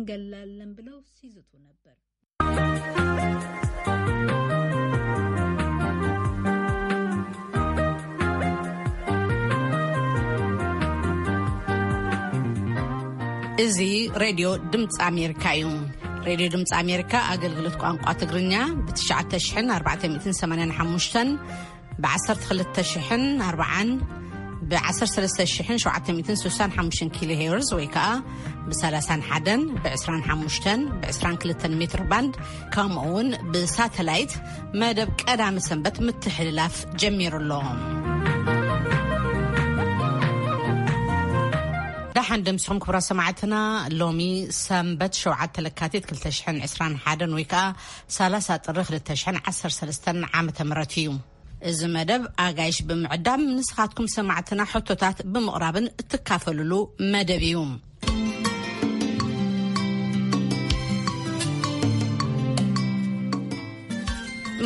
ገላለን ብለው ሲዝቱ ነበር። እዚ ሬድዮ ድምፂ ኣሜሪካ እዩ። ሬድዮ ድምፂ ኣሜሪካ ኣገልግሎት ቋንቋ ትግርኛ ብ9,485 ብ12,040 ብ13,765 ኪሎ ሄርዝ ወይ ከዓ ብ31 ብ25 ብ22 ሜትር ባንድ ከምኡ እውን ብሳተላይት መደብ ቀዳሚ ሰንበት ምትሕልላፍ ጀሚሩ ኣሎ። ደሓን ደምስኹም ክቡራት ሰማዕትና። ሎሚ ሰንበት ሸውዓተ ለካቲት ክልተ ሽሕን ዕስራን ሓደን ወይ ከዓ ሰላሳ ጥሪ ክልተ ሽሕን ዓሰርተ ሰለስተን ዓመተ ምህረት እዩ። እዚ መደብ ኣጋይሽ ብምዕዳም ንስኻትኩም ሰማዕትና ሕቶታት ብምቕራብን እትካፈልሉ መደብ እዩ።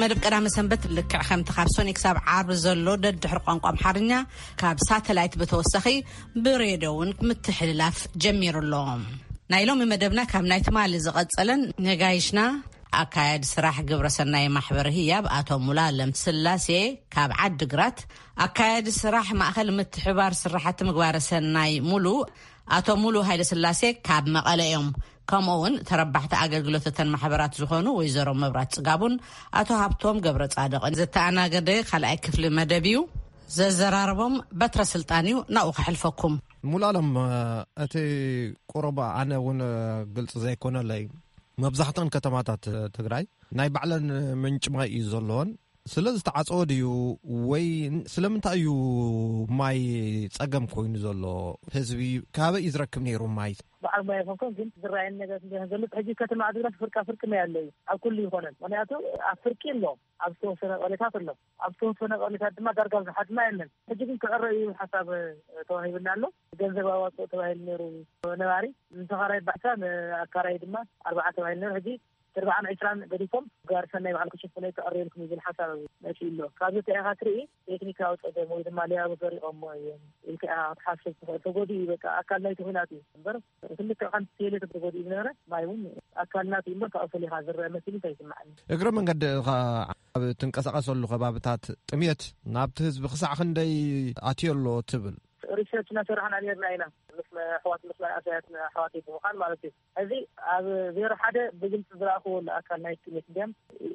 መደብ ቀዳመ ሰንበት ልክዕ ከምቲ ካብ ሶኒ ክሳብ ዓርቢ ዘሎ ደድሕሪ ቋንቋ ኣምሓርኛ ካብ ሳተላይት ብተወሳኺ ብሬድዮ እውን ምትሕልላፍ ጀሚሩ ኣሎ። ናይ ሎሚ መደብና ካብ ናይ ትማሊ ዝቐጸለን ነጋይሽና ኣካያዲ ስራሕ ግብረሰናይ ማሕበር ህያብ ኣቶ ሙሉኣለም ስላሴ ካብ ዓዲ ግራት፣ ኣካያዲ ስራሕ ማእኸል ምትሕባር ስራሕቲ ምግባረ ሰናይ ሙሉ ኣቶ ሙሉ ሃይለ ስላሴ ካብ መቐለ እዮም። ከምኡ እውን ተረባሕቲ ኣገልግሎት እተን ማሕበራት ዝኾኑ ወይዘሮ መብራት ጽጋቡን ኣቶ ሃብቶም ገብረ ጻድቕን ዘተኣናገደ ካልኣይ ክፍሊ መደብ እዩ። ዘዘራረቦም በትረ ስልጣን እዩ። ናብኡ ከሕልፈኩም። ሙሉኣለም፣ እቲ ቁሩብ ኣነ እውን ግልፂ ዘይኮነለይ፣ መብዛሕተን ከተማታት ትግራይ ናይ ባዕለን ምንጭ ማይ እዩ ዘለዎን። ስለ ዝተዓፀወ ድዩ ወይ ስለምንታይ እዩ ማይ ፀገም ኮይኑ ዘሎ? ህዝቢ ካበይ እዩ ዝረክብ ነይሩ ማይ? በዓል ሞያ ኣይኮንኩን፣ ግን ዝረኣየኒ ነገር እንዲሆን ዘሎ፣ ሕጂ ከተማ ዓዲግራት ፍርቃ ፍርቂ ማይ ኣሎ እዩ፣ ኣብ ኩሉ ይኾነን። ምክንያቱ ኣብ ፍርቂ ኣሎ፣ ኣብ ዝተወሰነ ቀበሌታት ኣሎ፣ ኣብ ዝተወሰነ ቀበሌታት ድማ ዳርጋ ብዙሓት ማይ የለን። ሕጂ ግን ክዕረ እዩ ሓሳብ ተዋሂብና ኣሎ። ገንዘብ ኣዋፅኦ ተባሂሉ ነይሩ ነባሪ፣ ንተኻራይ ባዕሳ፣ ንኣካራይ ድማ ኣርባዓ ተባሂሉ ነይሩ። ሕጂ ኣርባዓን ዕስራን ገዲፎም፣ ጋር ሰናይ ባዕሉ ክሽፍኖ ክዕረየልኩም ይብል ሓሳብ መፂኡ ኣሎ። ካብዚ እንታይ ኢኻ ትርኢ? ቴክኒካዊ ፀገም ወይ ድማ ሊያቡ ሰሪቖሞ እዮም ኢልካ ኢኻ ክትሓስብ ትኽእል። ተጎዲኡ እዩ፣ በቃ ኣካል ናይቲ ኲናት እዩ እምበር፣ ክልተ ቀን ቴሌ ተጎዲኡ ዝነበረ ማይ እውን ኣካል ናቱ እዩ እምበር፣ ካብኡ ፈሊኻ ዝረአ መሲሉ እንታይ ይስምዓኒ። እግረ መንገዲ ኸ ኣብ ትንቀሳቐሰሉ ከባብታት ጥሜት ናብቲ ህዝቢ ክሳዕ ክንደይ ኣትዮ ኣሎ ትብል? ሪሰርች እናሰራሕና ነርና ኢና፣ ምስ ኣሕዋት፣ ምስ ኣሳያት ኣሕዋት ብምዃን ማለት እዩ። እዚ ኣብ ዜሮ ሓደ ብግልፂ ዝረኣኽዎ ኣሎ ኣካል ናይ ጥሜት እንዲያም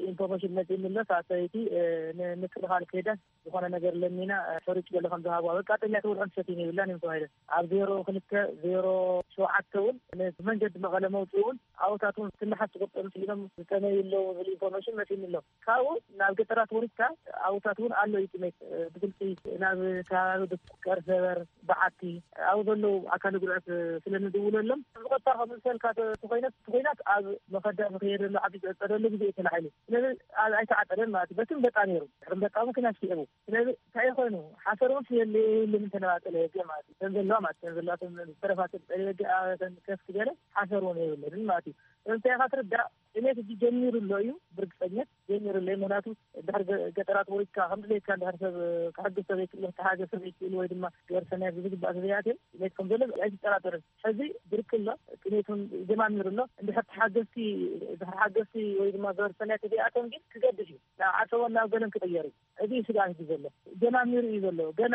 ኢንፎርሜሽን መፂእኒ ኣሎ። እታ ሰበይቲ፣ እ፣ ንምክልኻል ከይዳ ዝኾነ ነገር ለሚና፣ እ፣ ሕሩጭ ገለ ከም ዝሃብዋ፣ በቃ ጥሜት ውልዕን ሰቲን የብላን እዮም ተባሂለን። ኣብ ዜሮ ክልተ፣ ዜሮ ሸውዓተ እውን ንመንገዲ መቐለ መውፅኡ እውን ኣብታት እውን ትንሓት ዝቁጠሩ ስኢኖም ዝጠመዩ ኣለዉ ዝብል ኢንፎርሜሽን መፂእኒ ኣሎ። ካብኡ ናብ ገጠራት ወሪድካ ኣብታት እውን ኣሎ እዩ ጥሜት፣ እ፣ ብግልፂ ናብ ከባቢ ድቁ፣ ቀርሰበር፣ በዓቲ ኣብኡ ዘለዉ ኣካል ጉድኣት ስለ ንድውለሎም፣ ብቐጥታ ከም ዝሰልካ ተ-፣ ተኾይነት፣ ተኾይናት ኣብ መኸዳ ዝኸየደሉ ዓዲ ዝዕጸደሉ ግዜ እዩ ተላዒሉ። ስለዚ ኣብ ኣይተዓጸደን ማለት እዩ። በትን በጣ ነይሩ። ድሕሪ በጣ እውን ክናሽ ይእቡ። ስለዚ እንታይ ኮይኑ? ሓሰር እውን የለ የብልን እንተነባጠለ የገ ማለት እዩ። ተን ዘለዋ ማለት ተን ዘለዋ ተን ዝተረፋ ተን ጸለ የገ፣ ኣ፣ ተን ከፍ ዝበለ ሓሰር እውን የብልን ማለት እዩ። ስለዚ እንታይ ኢኻ ትርዳእ? ጥሜት እጂ ጀሚሩ ኣሎ እዩ፣ ብርግጸኛት ጀሚሩ ኣሎ እዩ። ምኽንያቱ ድሕሪ ገ-፣ ገጠራት ወሪድካ ከም ድሌትካ እንድሕር ሰብ ክሕግዝ ሰብ ዘይክእል፣ ክተሓገዝ ሰብ ዘይክእል ወይ ድማ ገበረ ሰናይ ብዝግባእ ተዘይኣትዮም ጥሜት ከም ዘሎ ኣይትጠራጠርን። ሕዚ ብርቂ ኣሎ፣ ጥሜት እውን ጀማሚሩ ኣሎ። እንድሕር ተሓገዝቲ፣ እንድሕር ሓገዝቲ ወይ ድማ ገበረ ሰናይ ተዘይኣትዮም ግን ክገድድ እዩ። ናብ ዓጸቦን ናብ ገለን ክቕየር እዩ። እዚ እዩ ስግኣት እዚ ዘሎ። ጀማሚሩ እዩ ዘሎ። ገና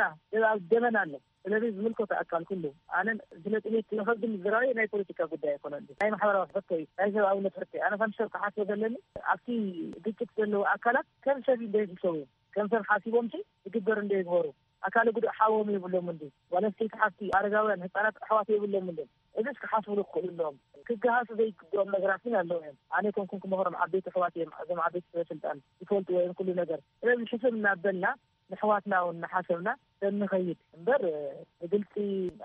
ኣብ ደመና ኣሎ። ስለዚ ዝምልከቶ ኣካል ኩሉ፣ ኣነን ስለ ጥሜት ዝረኸብ ግን ዝረኣየ ናይ ፖለቲካ ጉዳይ ኣይኮነን፣ ናይ ማሕበራዊ ሕቶ እዩ፣ ናይ ሰብኣውነት ሕቶ እዩ። ኣነ ከም ሰብ ክሓስቦ ዘለኒ፣ ኣብቲ ግጭት ዘለዉ ኣካላት ከም ሰብ እንደይሕሰቡ እዮም። ከም ሰብ ሓሲቦም ሲ ዝግበር እንደይግበሩ፣ ኣካለ ጉዱእ ሓዎም የብሎም እንዲ፣ ጓል ኣንስተይቲ ሓፍቲ፣ ኣረጋውያን፣ ህፃናት ኣሕዋት የብሎም እንዲ። እዚስ ክሓስብሉ ክኽእሉ ኣለዎም። ክገሃሱ ዘይግብኦም ነገራት ግን ኣለዉ እዮም። ኣነ ኣይኮንኩን ክመኽሮም፣ ዓበይቲ ኣሕዋት እዮም፣ እዞም ዓበይቲ ሰበ ስልጣን ይፈልጥዎ እዮም ኩሉ ነገር። ስለዚ ሕስብ እናበልና ንሕዋትና እውን እናሓሰብና ተንኸይድ እምበር፣ ብግልፂ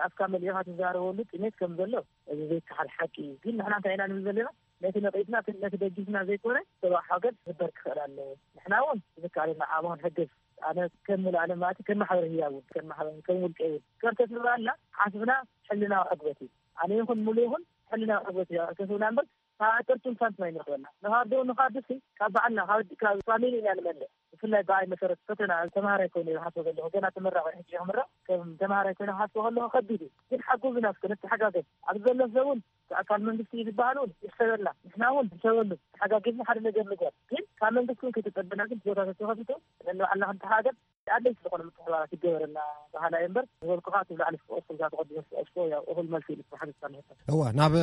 ኣፍካ መሊእኻ ትዛረበሉ ጥሜት ከም ዘሎ እዚ ዘይከሓድ ሓቂ እዩ። ግን ንሕና እንታይ ኢና ንብል ዘለና? ነቲ ነቒፍና፣ ነቲ ደጊፍና ዘይኮነ፣ ሰብኣዊ ሓገዝ ክግበር ክኽእል ኣለዎ። ንሕና እውን ዝከኣለና ዓቕሚ ክንሕግዝ፣ ኣነ ከም ሙሉኣለም ማለት ከም ማሕበር ህያብ እውን፣ ከም ማሕበር፣ ከም ውልቀ እውን፣ ከም ተስምባልና ሓስብና ሕልናዊ ዕግበት እዩ። ኣነ ይኹን ሙሉ ይኹን ሕልናዊ ዕግበት እዩ። ተስብና እምበር ካብ ኣጠርቱን ሳንቲም ኣይንረኽበና። ንኻርዶ፣ ንኻርድሲ ካብ ባዕልና፣ ካብ፣ ካብ ፋሚሊ ኢና ንመልእ። ብፍላይ ብኣይ መሰረት ፈተና ተምሃራይ ኮይነ ዝሓስቦ ዘለኹ፣ ገና ተመራቒ ሕጂ ክምረቕ፣ ከም ተምሃራይ ኮይነ ክሓስቦ ከለኹ ከቢድ እዩ። ግን ሓግዙና እስከ፣ ንተሓጋገዝ። ኣብዚ ዘሎ ሰብ እውን ኣካል መንግስቲ እዩ ዝበሃል እውን ይሕሰበልና። ንሕና እውን ንሕሰበሉ፣ ተሓጋጊዝና ሓደ ነገር ንግበር። ግን ካብ መንግስቲ እውን ከይተጸበና ግን ቦታ ተተኸፊቱ ነንባዕልና ክንተሓገዝ ኣድለይቲ ዝኾነ ምትሕባራት ይገበረና በሃላይ እምበር፣ ዝበልኩኻ እቲ ላዕሊ ዝጠቐስኩ፣ እዛ ተቐዲመ ዝጠቐስኩ ያው እኹል መልሲ ኢሉ ዝተሓገዝካ ንሕቶ። እወ፣ ናብ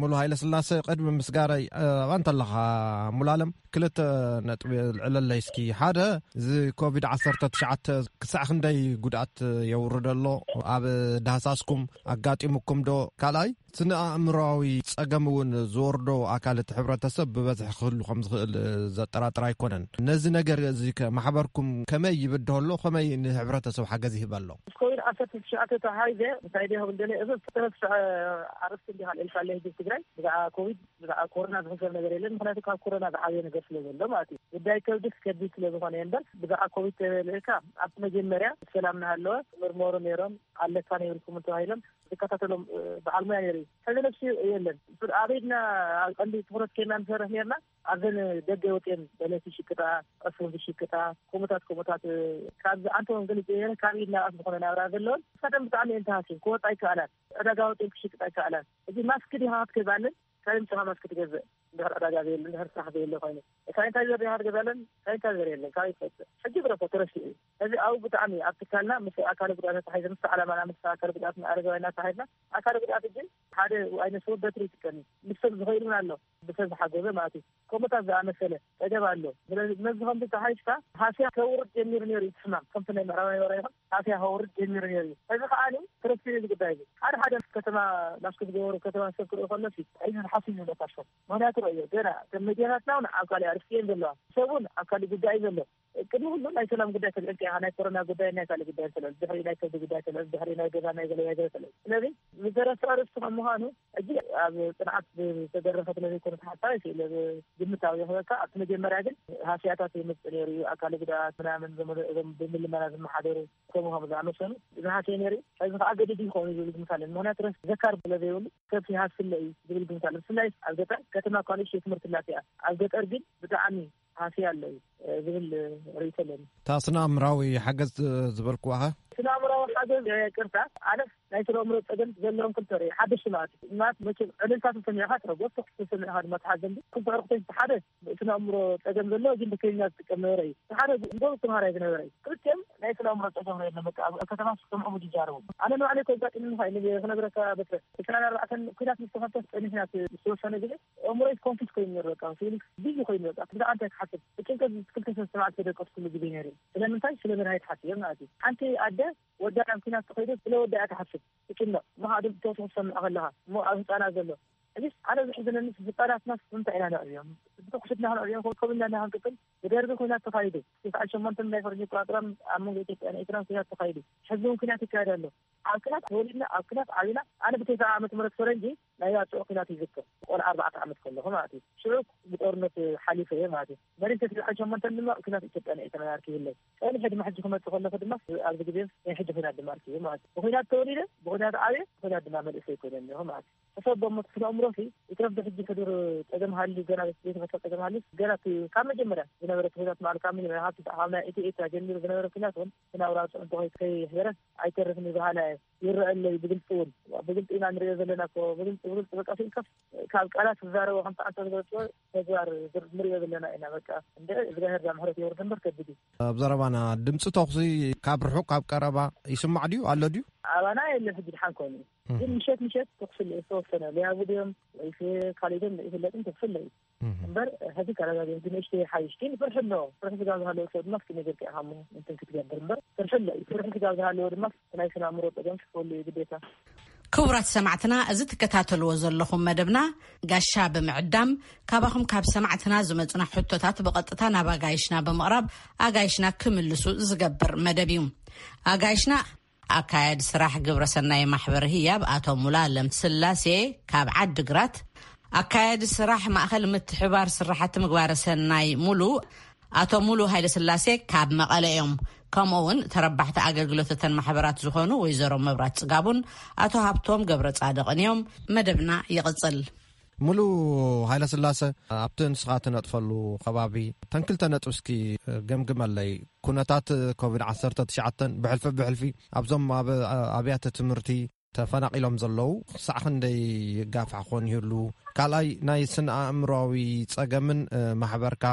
ሙሉ ሃይለ ስላሰ ቅድሚ ምስጋረይ፣ ኣባ እንተለኻ ሙሉ ኣለም ክልተ ነጥቢ ልዕለለይ እስኪ። ሓደ፣ እዚ ኮቪድ ዓሰርተ ትሽዓተ ክሳዕ ክንደይ ጉድኣት የውርድ ኣሎ ኣብ ዳህሳስኩም ኣጋጢሙኩም ዶ? ካልኣይ፣ ስነ ኣእምሮኣዊ ጸገም እውን ዝወርዶ ኣካል እቲ ሕብረተሰብ ብበዝሒ ክህሉ ከም ዝኽእል ዘጠራጥር ኣይኮነን። ነዚ ነገር እዚ ከ ማሕበርኩም ከመይ ይብድሆ ኣሎ? ከመይ ንሕብረተሰብ ሓገዝ ይህብ ኣሎ? ኮቪድ ዓሰርተ ትሽዓተ ተታሒዘ እንታይ ድየ ክብል ደለ፣ እዚ ዝተረስዐ ኣርእስቲ እንዲኻ ኣልዒልካለይ ህዝቢ ትግራይ። ብዛዕባ ኮቪድ፣ ብዛዕባ ኮሮና ዝሕሰብ ነገር የለን። ምኽንያቱ ካብ ኮሮና ዝዓበየ ነገር ስለ ዘሎ ማለት እዩ። ጉዳይ ከብዲ ከቢድ ስለ ዝኾነ እምበር፣ ብዛዕባ ኮቪድ ተበልዕካ ኣብቲ መጀመርያ ሰላም እናሃለወ ምርመሩ ነይሮም፣ ኣለካ ነይርኩም ተባሂሎም ዝከታተሎም፣ እ፣ በዓል ሞያ ነይሩ እዩ። ሕዚ ነብሲ የለን። ብር-፣ ኣብ ኢድና ኣብ ቀንዲ ትኹረት ኬና ንሰርሕ ነርና። ኣብዘን ደገ ወፅየን በለስ ይሽቅጣ፣ ዕፉን ዝሽቅጣ፣ ከምኡታት ከምኡታት፣ እ፣ ካብ ኣንተ ወንጌል ይገየረ ካብ ኢድና ኣፍ ዝኾነ ናብራ ዘለውን፣ ንሳተን ብጣዕሚ እየን ተሃስየን። ክወፃ ኣይከኣላን። ዕዳጋ ወፅየን ክሽቅጣ ኣይከኣላን። እዚ ማስክ ዲኻ ክትገዛለን? ካብ ምሳኻ ማስክ ትገዝእ? እንድሕር ዕዳጋ ዘየለ፣ እንድሕር ስራሕ ዘየለ ኮይኑ፣ ሳኒታይዘር ዲኻ ክትገዛለን? ሳኒታይዘር የለን። ካበይ ትመፅእ? ሕጂ ብረኮ ተረሲዑ እዩ። እዚ ኣብኡ ብጣዕሚ ኣብ ትካልና ምስ ኣካለ ጉዳት ተታሒዘ፣ ምስ ዓላማና፣ ምስ ኣካለ ጉዳት ኣረጋውያን ተታሒዝና፣ ኣካለ ጉዳት ግን ሓደ ኣይነ ስውር በትሪ ይጥቀም እዩ። ንሶም ዝኸይድ እውን ኣሎ፣ ብሰብ ዝሓገዘ ማለት እዩ። ከምኡታት ዝኣመሰለ ጸገም ኣሎ። ስለዚ ነዚ ከምዚ ተሓይሽካ ሃስያ ከውርድ ጀሚሩ ነይሩ እዩ እቲ ሕማም። ከምቲ ናይ ምዕራባዊ ወረ ይኹን ሃስያ ከውርድ ጀሚሩ ነይሩ እዩ። እዚ ከዓኒ ተረሲዑ እዚ ጉዳይ እዚ። ሓደ ሓደ ከተማ ማስክ ዝገበሩ ከተማ ሰብ ክርኢ ከሎ ሲ፣ እዚ ሓስዩ ዝብለካ ሽም። ምኽንያቱ ረእዮ፣ ገና ከም መዲናታትና እውን ኣብ ካልእ ኣርእስቲ እየን ዘለዋ። ሰብ እውን ኣብ ካልእ ጉዳይ እዩ ዘሎ። ቅድሚ ኩሉ ናይ ሰላም ጉዳይ ተልዕልካ ኢኻ፣ ናይ ኮሮና ጉዳይ፣ ናይ ካልእ ጉዳይ ተልዕል፣ ድሕሪ ናይ ከብዲ ጉዳይ ተልዕል፣ ድሕሪ ናይ ገዛ ናይ ገለ ናይ ገለ ተልዕል። ስለዚ ዝተረስዐ ኣርእስቲ ከም ምዃኑ፣ ሕጂ ኣብ ጽንዓት ዝተደረኸ ስለ ዘይኮነ ሓሳብ ኣይክእል፣ ግምታዊ ይኽበካ። ኣብቲ መጀመርያ ግን ሃስያታት የምጽእ ነይሩ እዩ፣ ኣካለ ጉዳት ምናምን፣ ዘመ-፣ እዞም ብምልመና ዝመሓደሩ ከምኡ ከም ዝኣመሰሉ ዝሃስየ ነይሩ እዩ። ሕዚ ከኣ ገዲዱ ይኸውን እዩ ዝብል ግምት ኣለኒ። ምኽንያቱ ረስ ዘካር ስለ ዘይብሉ ሰብ ይሃስለ እዩ ዝብል ግምት ኣለኒ። ብፍላይ ኣብ ገጠር፣ ከተማ እኳ ንእሽተይ ትምህርቲ ኣላትያ፣ ኣብ ገጠር ግን ብጣዕሚ ሃስያ ኣሎ እዩ፣ እ፣ ዝብል ርእይቶ ኣለኒ። እታ ስነ ኣእምራዊ ሓገዝ ዝበልክዋ ኸ? ስነ ኣእምራዊ ሓገዝ፣ እ፣ ቅርታ፣ ኣነስ ናይ ስነ ኣእምሮ ጸገም ዘለዎም ክልተ ርእየ፣ ሓደሽቲ ማለት እዩ። ማለት መቸም ዕልልታ ተሰሚዕካ ትሕጎስ፣ ተኹሲ ተሰሚዕካ ድማ ትሓዘን። ክልተ ዕርክቶች፣ ሓደ ስነ ኣእምሮ ጸገም ዘለዎ ግን ብኬንያ ዝጥቀም ነበረ እዩ። ሓደ ጎበዝ ተምሃራይ ዝነበረ እዩ። ክልቲኦም ናይ ስነ ኣእምሮ ጸገም ርእየ ኣለኒ። በቃ ኣብ ከተማ ዝሰምዖም ይጃረቡ። ኣነ ንባዕለይ ከጋጥም ምዃን እዩ ክነግረካ በትረ። ዕስራን ኣርባዕተን ኲናት ምስ ተኸፍተ ጸኒሕና እቲ ዝተወሰነ ግዜ ኣእምሮይ ኮንፊዝ ኮይኑ ነይሩ፣ በቃ ፊሊንግስ ቢዚ ኮይኑ፣ በቃ ብዛዕባ እንታይ ክሓስብ ብጭንቀት ክልተ ሰለስተ መዓልቲ ተደቀስኩሉ ግዜ ነይሩ። ስለምንታይ? ስለ መድሃኒት ሓስየ ማለት እዩ። ሓንቲ ኣደ ወዳ ናብ ኲናት ተኸይዱ ስለ ወዳ እያ ትሓስብ፣ ትጭነቕ። ምኻዱ ብተወሰኺ ትሰምዕ ከለኻ እሞ ኣብ ህፃናት ዘሎ እዚ ሓደ ዝሕዝነኒ ህፃናትና ንምንታይ ኢና ነዕብዮም? ብተኩስትና ክነዕብዮም? ከምኡ ኢልና ክንቅፅል ብደርቢ ኲናት ተኻይዱ። ትስዓን ሸሞንተን ናይ ፈረንጂ ኣቆፃፅራ ኣብ መንጎ ኢትዮጵያን ኤርትራን ኲናት ተኻይዱ። ሕዚ እውን ኲናት ይካየድ ኣሎ። ኣብ ኲናት ተወሊድና፣ ኣብ ኲናት ዓቢና። ኣነ ብተስዓ ዓመተ ምህረት ፈረንጂ ናይ ኣጽዋር ኲናት ይዝክር። ቆልዓ ኣርባዕተ ዓመት ከለኹ ማለት እዩ። ሽዑ ብጦርነት ሓሊፈ እየ ማለት እዩ። መሪር ተስዒ ሸሞንተን ድማ ኲናት ኢትዮጵያን ኤርትራን ኣርኪብለይ። ጸኒሐ ድማ ሕጂ ክመጽእ ከለኹ ድማ ኣብዚ ግዜ ናይ ሕጂ ኲናት ድማ ኣርኪበ ማለት እዩ። ብኲናት ተወሊደ፣ ብኲናት ዓብየ፣ ብኲናት ድማ መንእሰይ ኮይነ እኒሆ ማለት እዩ። ሕሰብ እሞ እቲ ስነ ኣእምሮሲ ይትረፍ ብሕጂ ሕዱር ጸገም ሃልዩ፣ ገና ዘይተፈትሐ ጸገም ሃልዩ፣ ገና እቲ ካብ መጀመርያ ዝነበረ ኩነታት ማለት ካብ መጀመርያ ካብ ትስዓ ካብ ናይ ኢትዮ ኤርትራ ጀሚሩ ዝነበረ ኩናት እውን ስነ ኣእምራዊ ጽዕንቶ ከይ-፣ ከይሕደረስ ኣይተርፍን እዩ በሃላይ እየ። ይረአ ኣሎ እዩ ብግልጺ እውን። ብግልጺ ኢና ንሪኦ ዘለና እኮ፣ ብግልጺ፣ ብግልጺ በቃ ስኢልካስ ካብ ቃላት ዝዛረቦ ከምቲ ኣንተ ዝገልጽዎ ተግባር ዝር-፣ ንሪኦ ዘለና ኢና። በቃ እንደ እግዚኣብሔር እዛ ምሕረት የውርድ እምበር ከቢድ እዩ። ኣብ ዘረባና ድምፂ ተኹሲ ካብ ርሑቕ ካብ ቀረባ ይስማዕ ድዩ? ኣሎ ድዩ? ኣባና የለን ሕጂ ድሓን ኮይኑ። እህ። ግን ምሸት ምሸት ተኹሲ ኣሎ ዝተወሰነ። ሊያቡ ድዮም ወይስ ካልእ ድዮም ኣይፍለጥን፣ ተኹሲ ኣሎ እዩ። እህ። እምበር ሕዚ ተረጋጊኡ ግን ንእሽተይ ይሓይሽ። ግን ፍርሒ ኣሎ። ፍርሒ ስጋብ ዝሃለወ ሰብ ድማ እስኪ ነገር ከ ኢኻ እሞ እንትን ክትገብር እምበር ፍርሒ ኣሎ እዩ። ፍርሒ ስጋብ ዝሃለወ ድማ ናይ ስነ ኣእምሮ ጸገም ክህሉ እዩ ግዴታ። ክቡራት ሰማዕትና፣ እዚ ትከታተልዎ ዘለኹም መደብና ጋሻ ብምዕዳም ካባኹም ካብ ሰማዕትና ዝመጹና ሕቶታት ብቐጥታ ናብ ኣጋይሽና ብምቕራብ ኣጋይሽና ክምልሱ ዝገብር መደብ እዩ። ኣጋይሽና ኣካያዲ ስራሕ ግብረሰናይ ማሕበር ህያብ ኣቶ ሙሉኣለም ስላሴ ካብ ዓዲግራት፣ ኣካያዲ ስራሕ ማእኸል ምትሕባር ስራሕቲ ምግባረ ሰናይ ሙሉ ኣቶ ሙሉ ሃይለስላሴ ካብ መቐለ እዮም። ከምኡ እውን ተረባሕቲ ኣገልግሎት እተን ማሕበራት ዝኾኑ ወይዘሮ መብራት ጽጋቡን ኣቶ ሃብቶም ገብረ ጻድቕን እዮም። መደብና ይቕጽል። ሙሉ ሃይለስላሴ፣ ኣብቲ ንስኻ ትነጥፈሉ ከባቢ ተን ክልተ ነጥቢ እስኪ ገምግመለይ። ኩነታት ኮቪድ ዓሰርተ ትሽዓተ ብሕልፊ ብሕልፊ ኣብዞም ኣብ ኣብያተ ትምህርቲ ተፈናቒሎም ዘለዉ ክሳዕ ክንደይ ይጋፋሕ ክኾን ይህሉ? ካልኣይ ናይ ስነ ኣእምሮዊ ጸገምን ማሕበርካ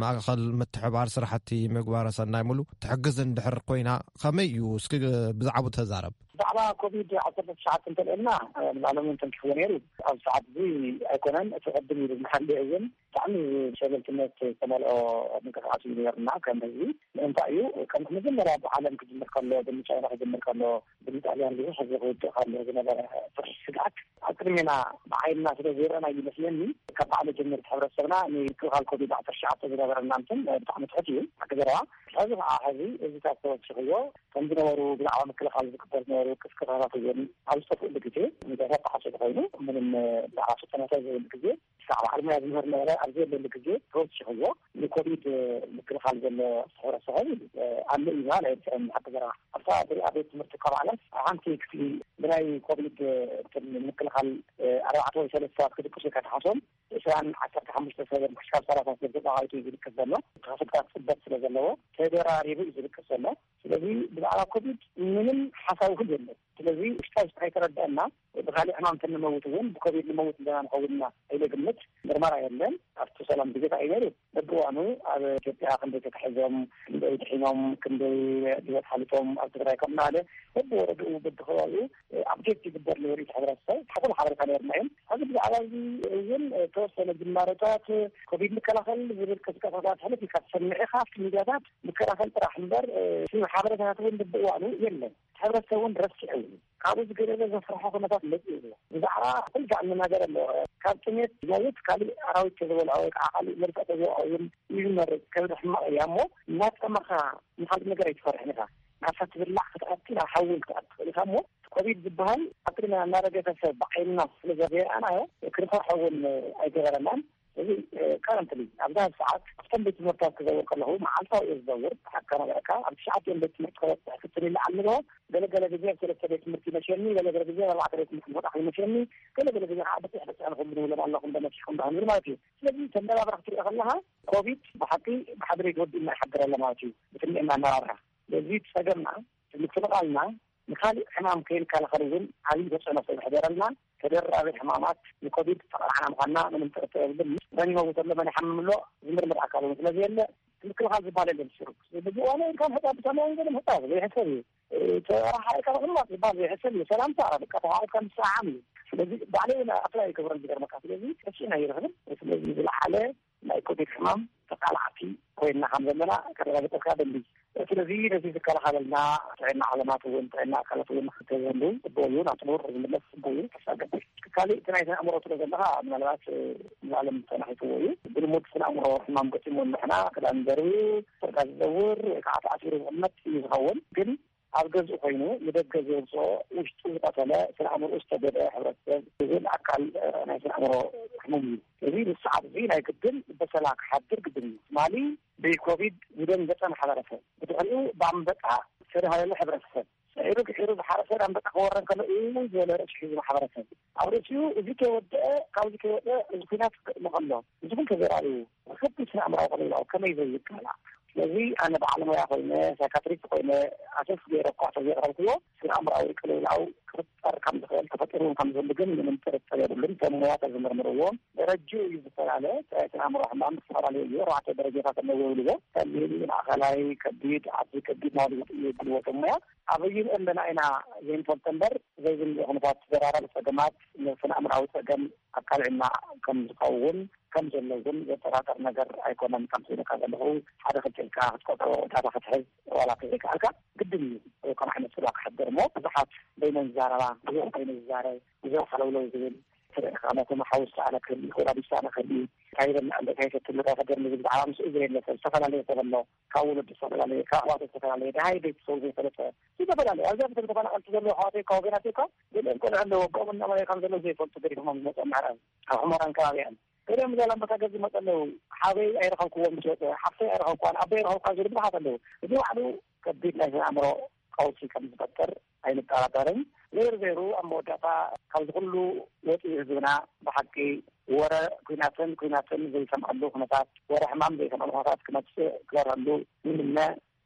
ማእኸል ምትሕባር ስራሕቲ ምግባረ ሰናይ ሙሉ ትሕግዝ እንድሕር ኮይና ከመይ እዩ? እስኪ ብዛዕባኡ ተዛረብ። ብዛዕባ ኮቪድ ዓሰርተ ትሽዓተ እንተልዕልና ንባዕሎም እዮም ተንኪፍዎ ነይሩ። ኣብ ሰዓት እዚ ኣይኮነን፣ እቲ ቅድም ኢሉ ዝሓልየ እውን ብጣዕሚ ሸለልትነት ዝተመልኦ ምንቅስቃስ እዩ ነይሩና ከም ህዝቢ። ምእንታ እዩ ከም መጀመርያ ብዓለም ክጅምር ከሎ፣ ብቻይና ክጅምር ከሎ፣ ብጣልያን ብዙሕ ህዝቢ ክውድእ ከሎ ዝነበረ ፍርሒ ስግኣት ኣብ ቅድሜና ብዓይንና ስለ ዘይረኣና እዩ መስለኒ። ካብ በዓል ጀምር ሕብረተሰብና ንምክልኻል ኮቪድ ዓሰርተ ትሽዓተ ዝነበረና እንትን ብጣዕሚ ትሑት እዩ። ሓቂ ዘረባ ሕዚ ከዓ ሕዚ እዚታት ተወሲኽዮ ከም ዝነበሩ ብዛዕባ ምክልኻል ዝግበር ዝነበሩ ቅስቀሳታት እውን ኣብ ዝጠፍእሉ ግዜ፣ ሚዲያታት ተሓጽቡ ኮይኑ ምንም ብዛዕባ ስልጠናታት ዘይብሉ ግዜ፣ ክሳዕ በዓል ሞያ ዝምህር ነበረ ኣብ ዘየለሉ ግዜ ተወሲኽዎ ንኮቪድ ምክልኻል ዘሎ ሕብረተሰብ ኣሎ እዩ ዝበሃል ኣይርትዕን። ሓቂ ዘረባ ኣብታ ትሪኣ ቤት ትምህርቲ እኳ ባዕላስ ሓንቲ ክፍሊ ብናይ ኮቪድ ምክልኻል ኣርባዕተ ወይ ሰለስተ ሰባት ክድቅሱ ኢልካ ትሓሶም ዕስራን ዓሰርተ ሓሙሽተ ሰበን ክሻብ ሰላሳ ሰብ ተጻዋዒቱ እዩ ዝድቅስ ዘሎ። ተኸፍትታት ጽበት ስለ ዘለዎ ተደራሪቡ እዩ ዝድቅስ ዘሎ። ስለዚ ብዛዕባ ኮቪድ ምንም ሓሳብ እውን የለን። ስለዚ ውሽጣ ውሽጢ ከይተረድአና ብካሊእ ሕማም ተንመውት እውን ብኮቪድ ንመውት እንደና ንኸውን ኢና ኢለ ግምት። ምርመራ የለን። ኣብቲ ሰላም ግዜ እንታይ እዩ ነይሩ? በብእዋኑ ኣብ ኢትዮጵያ ክንደይ ተታሒዞም፣ ክንደይ ድሒኖም፣ ክንደይ ህይወት ሓሊፎም፣ ኣብ ትግራይ ከም ናለ በብወረድኡ በብከባቢኡ ኣፕዴት ይግበር ነይሩ። እቲ ሕብረተሰብ ሕኹል ሓበሬታ ነይርና እዮም። ሕዚ ብዛዕባ እዚ እውን ተወሰነ ጅማሮታት ኮቪድ ንከላኸል ዝብል ቅስቀሳታት ሕልፍ ኢልካ ትሰምዕ ኢኻ። ኣብቲ ሚዲያታት ምከላኸል ጥራሕ እምበር፣ እ፣ እቲ ሓበሬታታት እውን በብእዋኑ የለን። ሕብረተሰብ እውን ረሲዕዎ እዩ። ካብኡ ዝገደለ ዘፍርሖ ኩነታት መፂኡ ኣሎ። ብዛዕባ ኩልካ እንናገር ኣሎ። ካብ ጥሜት ዝመውት ካሊእ ኣራዊት ተዝበልዖ ወይ ከዓ ካሊእ መልክዕ ተዝወዖ እውን እዩ ዝመርፅ። ከብዲ ሕማቕ እያ እሞ እናጠመኻ ንካልእ ነገር ኣይትፈርሕን ኢኻ። ናብታ ትብላዕ ክትኣቱ ናብ ሓዊ እውን ክትኣቱ ትኽእል ኢኻ እሞ ኮቪድ ዝበሃል ኣብ ቅድሚና እናረገፈ ሰብ ብዓይንና ስለ ዘይረኣናዮ ክንፈርሖ እውን ኣይገበረናን። እዚ ከረንትሊ ኣብዛ ሰዓት ኣብተን ቤት ትምህርታት ክዘውር ከለኹ መዓልታዊ እየ ዝዘውር። ብሓቂ ከነግረካ ኣብ ትሽዓቲኦም ቤት ትምህርቲ ክበፅሕ ክትል ይለዓል ንግሆ ገለገለ ግዜ ኣብ ሰለስተ ቤት ትምህርቲ ይመሸኒ፣ ገለገለ ግዜ ኣብ ኣርባዕተ ቤት ትምህርቲ ምውጣሕ ይመሸኒ፣ ገለገለ ግዜ ከዓ ብፅሕ ብፅሕ ንኹም ንብሎም ኣለኹም ዶ መሲኹም ዶ ክንብል ማለት እዩ። ስለዚ ተመራብራ ክትሪኦ ከለኻ ኮቪድ ብሓቂ ብሓደ ቤት ወዲእና ይሓድር ኣሎ ማለት እዩ። ብትንኤና ኣመራርሓ ስለዚ እቲ ጸገምና ምክልኻልና ንካሊእ ሕማም ከይንከላኸል እውን ዓብዪ ተፅዕኖ ስለ ዘሕደረልና ተደራቢ ሕማማት ንኮቪድ ተቓላዕና ምዃንና ምንም ጥርጥር የብልን። መን ይመውት ኣሎ መን ይሓምም ኣሎ ዝምርምር ኣካል እውን ስለ ዘየለ ምክልኻል ዝበሃል የለን። ሽሩ ብዝበዋነ ኢልካ ምሕፃብ ብሰማይ ገለ ምሕፃብ ዘይሕሰብ እዩ። ተራሓ ኢልካ ምቕማጥ ዝበሃል ዘይሕሰብ እዩ። ሰላምታ በቃ ተሓኢልካ ምስዓም እዩ። ስለዚ ባዕለይ እውን ኣፕላይ ይገብረን ዝገርመካ። ስለዚ ተስኢና ይረኽብን ስለዚ ዝለዓለ ናይ ኮቪድ ሕማም ተቃላዕቲ ኮይንና ከም ዘለና ከረጋግጠልካ ደሊ። ስለዚ ነዚ ዝከላኸለልና ጥዕና ዓለማት እውን ጥዕና ኣካላት እውን ክተዘሉ ጽቡቅ እዩ። ናብ ጥሙር ዝምለስ ጽቡቅ እዩ። ተሳገበ ካልእ እቲ ናይ ስነ ኣእምሮ ትሎ ዘለካ ምናልባት ንዓለም ተናሒትዎ እዩ። ብልሙድ ስነ ኣእምሮ ሕማም ገጢሙ ንሕና ክዳን ደርብዩ፣ ስርጋ ዝዘውር ወይ ከዓ ተኣሲሩ ዝቕመጥ እዩ ዝኸውን። ግን ኣብ ገዝኡ ኮይኑ ንደገ ዘውፅኦ ውሽጡ ዝቐተለ ስነ ኣእምሮ ዝተገደ ሕብረተሰብ ዝብል ኣካል ናይ ስነ ኣእምሮ ሕሙም እዩ። እዚ ንሰዓት እዚ ናይ ግድን በሰላ ክሓድር ግድን እዩ። ትማሊ ብኮቪድ ዝደንገጸ ማሕበረሰብ ብድሕሪኡ ብኣንበጣ ዝተደሃለለ ሕብረተሰብ ስዒሩ ድሒሩ ዝሓረሰ ኣንበጣ ክወረን ከሎ እዩ ዝበለ ርእሲ ሒዙ ማሕበረሰብ ኣብ ርእሲኡ እዚ ከይወደአ ካብዚ ከይወደአ እዚ ኩናት ክቕመቐሎ እዚ ኩን ተዘራሪቡ ከቢድ ስነ ኣእምራዊ ቅልውላው ከመይ ዘይቃላዕ። ስለዚ ኣነ በዓል ሞያ ኮይነ ሳይካትሪስት ኮይነ ኣሰስ ገይረ እኳ ተዘይቕረብክዎ ስነ ኣእምራዊ ቅልውላው ክፍጠር ከም ዝኽእል ተፈጢሩ ከም ዝህሉ ግን ምንም ጥርጥር የብሉን። እቶም ሞያ ተዝምርምርዎም ደረጅኡ እዩ ዝተፈላለ። ስነ ኣእምሮ ሕማም ዝተፈላለዩ እዩ ኣርባዕተ ደረጃታት ኣለዎ ይብልዎ። ቀሊል ማእኸላይ ከቢድ ዓቢ ከቢድ ማለት ይብልዎ እቶም ሞያ ኣበይን ኣለና ኢና ዘይንፈልጦ እምበር ዘይዝንልኦ ኩነታት ተደራራቢ ፀገማት ንስነ ኣእምራዊ ፀገም ኣካል ዕና ከም ዝኸውን ከም ዘለውን ዘጠራጠር ነገር ኣይኮነን። ከም ስኢልካ ዘለኹ ሓደ ክልተ ኢልካ ክትቆጥሮ ዳታ ክትሕዝ ዋላ ከይከኣልካ ግድን እዩ። ከም ዓይነት ስላ ክሕደር እሞ ብዙሓት በይነን ዝዛረባ ብዙሕ በይነ ዝዛረብ ብዙሕ ሓለውለው ዝብል ትርኢኻ ነቶም ሓውስ ኣነ ክህሊ ወላዲስ ኣነ ክህሊ እንታይ ይበልዕ ኣሎ እንታይ ይሰቲ ኣሎ እንታይ ይፈድር ዝብል ብዛዕባ ምስኡ ዘየለ ሰብ ዝተፈላለየ ሰብ ኣሎ። ካብ ወለዱ ዝተፈላለየ ካብ ኣሕዋቱ ዝተፈላለየ ደሃይ ቤተሰቡ ዘይፈለጠ ዝተፈላለዩ ኣብዚኣ ብተፈናቀልቲ ዘለዎ ኣሕዋተይ ካብ ወገናተይ እኳ ገሊኦም ቆልዑ ኣለዎ ኣቦኦም እናበለ ከም ዘለዉ ዘይፈልጡ ገዲፎሞም ዝመፁ ኣብ ምዕራብ ኣብ ሑመራን ከባቢኣን ገሊኦም ዛላምበሳ ገዝ ዝመፁ ኣለዉ። ሓበይ ኣይረኸብክዎም ምስ ወፀ ሓፍተይ ኣይረኸብኳን ኣቦይ ኣይረኸብኳን ዝብሉ ብዙሓት ኣለዉ። እዚ ባዕሉ ከቢድ ናይ ስነ ኣእምሮ ቀውሲ ከም ዝፈጥር ኣይንጠራጠርን። ዘይሩ ዘይሩ ኣብ መወዳእታ ካብዚ ኩሉ ወፂኡ ህዝብና ብሓቂ ወረ ኩናትን ኩናትን ዘይሰምዐሉ ኩነታት ወረ ሕማም ዘይሰምዐሉ ኩነታት ክመፅእ ክበረሉ ይምነ።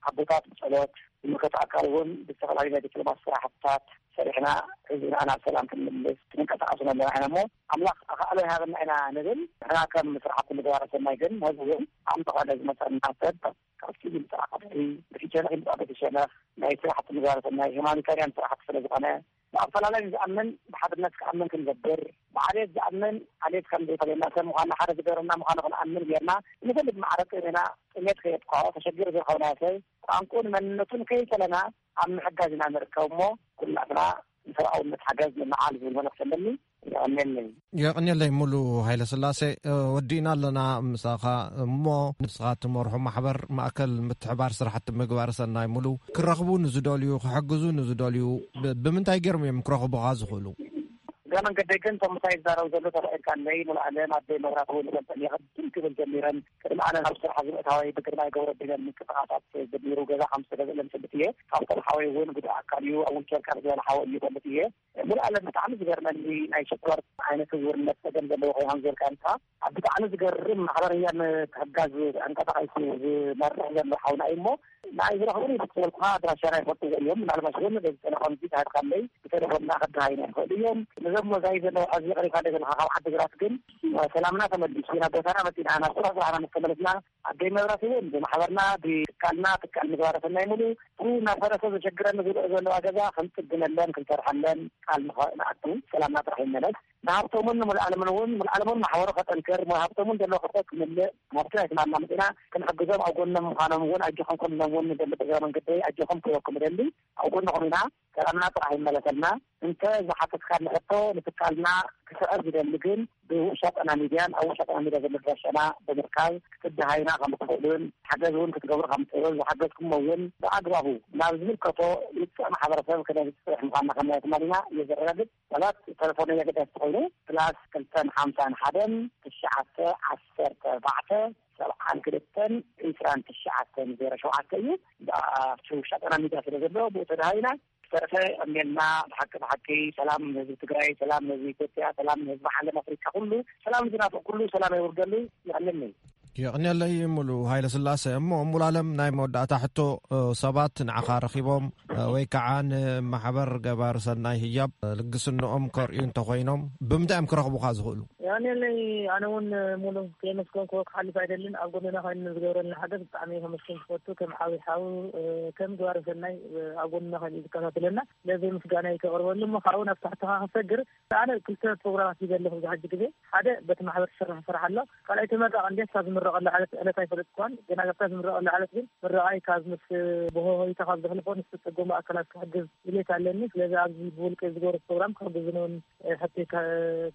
ኣቦታት ብጸሎት፣ ዝምልከቶ ኣካል እውን ብዝተፈላለዩ ናይ ዲፕሎማሲ ስራሕትታት ሰሪሕና ህዝብና ናብ ሰላም ክንምልስ ክንቀሳቀሱ ኣለና ኢና እሞ ኣምላኽ ኣኽኣሎ ይሃበና ኢና ንብል። ንሕና ከም ስራሕቲ ምግባረ ሰናይ ግን ህዝቢ እውን ኣብ መቐለ ዝመፀና ሰብ ካብ ሲቪል ስራሕ ብሸነኽ ይምፃእ በቲ ሸነኽ ናይ ስራሕቲ ምግባረ ሰናይ ሂማኒታርያን ስራሕቲ ስለ ዝኾነ ብኣፈላለይ ዝኣምን ብሓድነት ክኣምን ክንገብር ብዓሌት ዝኣምን ዓሌት ከም ዘይፈለየና ሰብ ምዃንና ሓደ ዝገበረና ምዃኑ ክንኣምን ጌርና ንፈልጥ ማዕረ ጥሜና ጥሜት ከየጥቅዖ ተሸጊሩ ዝረኸብናዮ ሰብ ቋንቁን መንነቱን ከይፈለና ኣብ ምሕጋዝ ኢና ንርከብ እሞ ኩላትና ንሰብኣውነት ሓገዝ ንመዓል ዝብል መልእኽቲ ኣለኒ። የቐንየለይ። የቐንየለይ ሙሉ ሃይለ ስላሴ። ወዲእና ኣለና ምሳኻ እሞ ንስኻ ትመርሖ ማሕበር ማእከል ምትሕባር ስራሕቲ ምግባር ሰናይ ሙሉ ክረኽቡ ንዝደልዩ ክሕግዙ ንዝደልዩ ብ- ብምንታይ ገይሮም እዮም ክረኽቡኻ ዝኽእሉ? እዛ መንገደይ ግን እቶም ምሳይ ዝዛረቡ ዘሎ ተባኢልካ ኣለይ ሙሉ ኣለም ኣደይ መብራት እውን ይፈልጠን እየ ቅድም ክብል ጀሚረን ቅድሚ ኣነ ናብ ስራሕ ዝምእታወይ ብግርማይ ገብረ ዲነን ምንቅስቃሳት ጀሚሩ ገዛ ከም ዝተገዝእለን ይፈልጥ እየ። ካብቶም ሓወይ እውን ጉዱእ ኣካል እዩ ኣብ ዊልቸር ካብ ዝበለ ሓወ እዩ ይፈልጥ እየ። ሙሉ ኣለም ብጣዕሚ ዝገርመኒ ናይ ሽኮር ዓይነት ህዝውርነት ፀገም ዘለዎ ኮይኑ ከም ዝበልካ ንስኻ ኣብ ብጣዕሚ ዝገርም ማሕበርያ ምትሕጋዝ ኣንቀሳቃይሱ ዝመርሕ ዘሎ ሓውና እዩ እሞ ንኣይ ዝረኽቡን ይፍትወልኩኻ ኣድራሻና ይፈልጥዎ እዮም ምናልባሽ እውን በዚ ቴሌፎን እዚ ተሃድካለይ ብቴሌፎንና ክድሃይና ይኽእሉ እዮም። ነዞም መዛይ ዘለዉ ሕዚ ቀሪብካ ደገልካ ካብ ዓዲ ግራት ግን ሰላምና ተመሊሱ ናብ ቦታና መፂና ናብ ስራሕ ስራሕና ምስ ተመለስና ኣደይ መብራት እውን ብማሕበርና ብትካልና ትካል ምግባረ ሰናይ ሙሉ እቲ እናፈረሰ ዘሸግረኒ ዝብልኦ ዘለዋ ገዛ ክንፅግነለን ክንሰርሐለን ቃል ንኸ- ንኣቱ ሰላምና ጥራሕ ይመለስ። ንሃብቶምን ንሙሉኣለምን እውን ሙሉኣለምን ማሕበሩ ከጠንክር ሙሃብቶምን ዘለዎ ክፍተት ክምልእ ናብቲ ናይ ትማልና መፂና ክንሕግዞም ኣብ ጎኖም ምዃኖም እውን ኣጆኹም ክንሎም እውን ንደሊ እግረ መንገደይ ኣጆኹም ክበኩም እደሊ። ኣብ ጎንኹም ኢና ሰላምና ጥራሕ ይመለሰልና። እንተ ዝሓተትካኒ ሕቶ ንትካልና ክስዕር ዝደሊ ግን ብውሻጠና ሚድያን ኣብ ውሻጠና ሚድያ ዘሎ ድራሻና ብምርካብ ክትደሃዩና ከም ትኽእሉን ሓገዝ እውን ክትገብሩ ከም ትኽእሉን ዝሓገዝኩሞ እውን ብኣግባቡ ናብ ዝምልከቶ ውፅዕ ማሕበረሰብ ክነብፅሕ ምዃንና ከም ናይ ትማሊና እየ ዘረጋግፅ። ሰባት ተለፎን ኣገዳሲ ኮይኑ ፕላስ ክልተን ሓምሳን ሓደን ትሽዓተ ዓሰርተ ኣርባዕተ ሰብዓን ክልተን ዒስራን ትሽዓተን ዜሮ ሸውዓተ እዩ። ብኣሽቱ ሻጠና ሚድያ ስለ ዘሎ ብኡ ተደሃቢና ዝተረፈ እሜልና ብሓቂ ብሓቂ ሰላም ንህዝቢ ትግራይ፣ ሰላም ንህዝቢ ኢትዮጵያ፣ ሰላም ንህዝቢ ዓለም ኣፍሪካ ኩሉ ሰላም ዝናፍቕ ኩሉ ሰላም የውርደሉ። ይቐንየለይ። የቕንየለይ ሙሉ ሃይለ ስላሴ። እሞ ሙሉ ኣለም ናይ መወዳእታ ሕቶ፣ እ፣ ሰባት ንዓኻ ረኺቦም፣ እ፣ ወይ ከዓ ንማሕበር ገባር ሰናይ ህያብ፣ እ፣ ልግስንኦም ከርእዩ እንተኾይኖም ብምንታይ እዮም ክረኽቡኻ ዝኽእሉ? ያኔለይ ኣነ እውን ሙሉ ከየመስገንኩዎ ክሓልፍ ኣይደልን። ኣብ ጎንና ኮይኑ ንዝገብረልና ሓገዝ ብጣዕሚ ከመስግን ዝፈቱ ከም ዓብይ ሓው፣ እ፣ ከም ገባር ሰናይ፣ እ፣ ኣብ ጎንና ኮይኑ እዩ ዝከታተለና። ስለዚ ምስጋና ይከቕርበሉ እሞ ካብኡ ናብ ትሕትኻ ክሰግር ኣነ ክልተ ፕሮግራማት ሂበ ኣለኹ ኣብዚ ሕጂ ግዜ። ሓደ በቲ ማሕበር ዝስራሕ ስራሕ ኣሎ። ካልኣይ ተመራቂ እንድያ ክሳብ ዝምረቐሉ ዕለት ዕለት ኣይፈለጥኩዋን። ግና ክሳብ ዝምረቐሉ ዕለት ግን ምርቓይ ካብ ምስ ብሆሆይታ ካብ ዘሕልፎ ንዝተፀገሙ ኣካላት ክሕግዝ ድሌት ኣለኒ። ስለዚ ኣብዚ ብውልቀ ዝገብሮ ፕሮግራም ክሕግዝኒ እውን ሕቶይ ከ-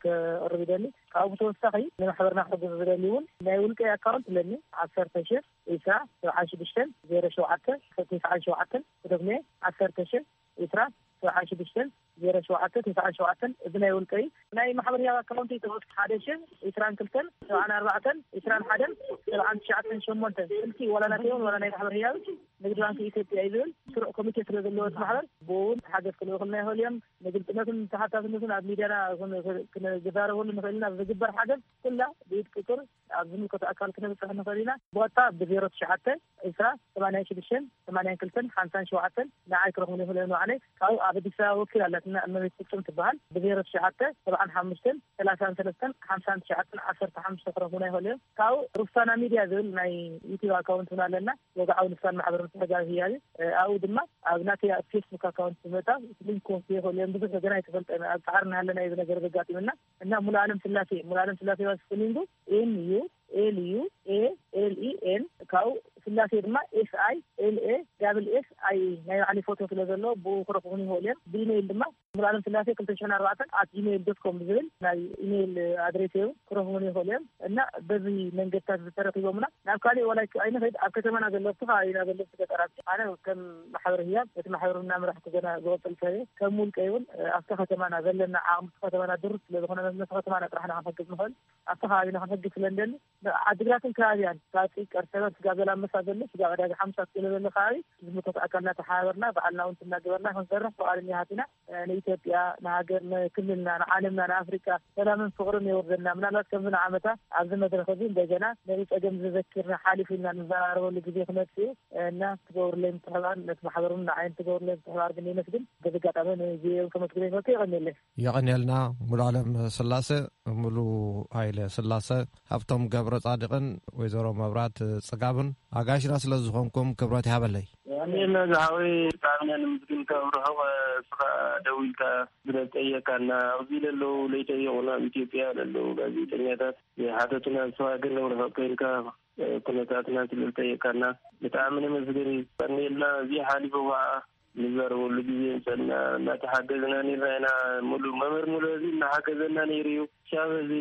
ከቕርብ ይደሊ። ካብኡ ብተወሳኺ ንማሕበርና ክሕግዝ ዝደሊ እውን ናይ ውልቀይ ኣካውንት ኣለኒ። ዓሰርተ ሺሕ ዒስራ ሰብዓን ሽዱሽተን ዜሮ ሸውዓተ ተስዓን ሸውዓተን ክደግሞ እየ። ዓሰርተ ሺሕ ዒስራ ሰብዓን ሽዱሽተን ዜሮ ሸውዓተ ተስዓን ሸውዓተን እዚ ናይ ውልቀ እዩ። ናይ ማሕበር ህያብ ኣካውንት ይተወስ ሓደ ሽሕ ዒስራን ክልተን ሰብዓን ኣርባዕተን ዒስራን ሓደን ሰብዓን ትሽዓተን ሸሞንተ ስልኪ ዋላ ናተይ እውን ዋላ ናይ ማሕበር ህያብ ንግድ ባንክ ኢትዮጵያ እዩ ዝብል ስሩዕ ኮሚቴ ስለ ዘለዎ እቲ ማሕበር ብኡ እውን ሓገዝ ክልእኹልና ይኽእሉ እዮም። ንግልፅነትን ተሓታትነትን ኣብ ሚድያና ክን- ክን- ክንዛረበሉ ንኽእል ኢና። ዝግበር ሓገዝ ኩላ ብኢድ ቁፅር ኣብ ዝምልከቶ ኣካል ክነብፅሕ ንኽእል ኢና። ብቐጥታ ብዜሮ ትሽዓተ ዒስራ ሰማንያን ሽዱሽተን ሰማንያን ክልተን ሓምሳን ሸውዓተን ንዓይ ክረኽቡኒ ይኽእሉ እዮም። ንባዕለይ ካብኡ ኣብ ኣዲስ ኣበባ ወኪል ኣላትና እመቤት ፍጹም ትበሃል። ብዜሮ ትሽዓተ ሰብዓን ሓሙሽተን ሰላሳን ሰለስተን ሓምሳን ትሽዓተን ዓሰርተ ሓሙሽተ ክረኽቡና ይኽእሉ እዮም። ካብኡ ሩፍሳና ሚድያ ዝብል ናይ ዩቲዩብ ኣካውንት እውን ኣለና። ወግዓዊ ልሳን ማሕበር ምትሕግጋዝ ህያብ እዩ። ኣብኡ ድማ ኣብ ናተይ ኣብ ፌስቡክ ኣካውንት ብምእታው ሊንክ ክወስዱ ይኽእሉ እዮም። ብዙሕ ገና ኣይተፈልጠን ኣብ ፃዕሪ እናሃለና እዩ እዚ ነገር ዘጋጢምና። እና ሙሉ ኣለም ስላሴ ሙሉ ኣለም ስላሴ ባስፍሊንጉ ኤም ዩ ኤል ዩ ኤ ኤል ኢ ኤን ካብኡ ስላሴ ድማ ኤስ ኣይ ኤል ኤ ዳብል ኤስ ኣይ ናይ ባዕለይ ፎቶ ስለ ዘሎ ብኡ ክረኽቡኒ ይኽእሉ እዮም። ብኢሜይል ድማ ሙሉ ኣለም ስላሴ ክልተ ሽሕን ኣርባዕተን ኣት ጂሜይል ዶት ኮም ብዝብል ናይ ኢሜይል ኣድሬስ እዩ ክረኽቡኒ ይኽእሉ እዮም። እና በዚ መንገድታት ዝተረኺቦምና ናብ ካሊእ ዋላ ኣይንኸይድ ኣብ ከተማና ዘሎ ኣብቲ ከባቢና ዘሎ ገጠራት ኣነ ከም ማሕበር ህያብ እቲ ማሕበር እናመራሕኩ ገና ዝቕፅል ሰብ እየ። ከም ውልቀይ እውን ኣብቲ ከተማና ዘለና ዓቕሚ እቲ ከተማና ድሩት ስለ ዝኾነ መመስ ከተማና ጥራሕና ክንሕግዝ ንኽእል ኣብቲ ከባቢና ክንሕግዝ ስለ እንደሊ ዓድግራትን ከባቢያን ሳፂ ቀርሰበት ጋዘላመ ክሳብ ዘሎ ስጋብ ዕዳጋ ሓሙሳ ክትገለበለ ከባቢ ዝምልከቶ ኣካልና ተሓባበርና፣ ባዕልና እውን እናገበርና ክንሰርሕ ፍቓደኛ ሃቲና። ንኢትዮጵያ፣ ንሃገር፣ ንክልልና፣ ንዓለምና፣ ንኣፍሪቃ ሰላምን ፍቕርን የውርደልና። ምናልባት ከምዚ ንዓመታ ኣብዚ መድረኽ እዚ እንደገና ነዚ ጸገም ዘዘኪርና ሓሊፉ ኢልና ንዘራረበሉ ግዜ ክመጽእ እዩ እና ትገብሩለይ ምትሕባር፣ ነቲ ማሕበር እውን ንዓይ ትገብሩለይ ምትሕባር ግን የመስግን። በዚ ኣጋጣሚ ንቪኦኤ ከመስግን ይፈቱ። የቐንየለይ። የቐንየልና። ሙሉ ኣለም ስላሰ፣ ሙሉ ሃይለ ስላሰ፣ ሃብቶም ገብረ ጻድቕን ወይዘሮ መብራት ጽጋብን ኣጋይሽና ስለ ዝኾንኩም ክብረት ይሃበለይ። የቐንየልና ዝሓወይ፣ ብጣዕሚ ኢና ንምስግንካ። ኣብ ርሑቕ ስኻ ደዊልካ ስለዝጠየቃና፣ ኣብዚ ለለዉ ለይጠየቑና፣ ኣብ ኢትዮጵያ ለለዉ ጋዜጠኛታት ዘይሓተቱና፣ ንስኻ ግን ኣብ ርሑቕ ኮይንካ ኩነታትና ስለዝጠየቃና ብጣዕሚ ነመስግን። የቐንየልና። እዚ ሓሊፉ ከዓ ንዛረበሉ ግዜ ምጸና እናተሓገዝና ነርና ኢና። ሙሉ መምህር ሙሉ እዚ እናሓገዘና ነይሩ እዩ። ሻብ እዚ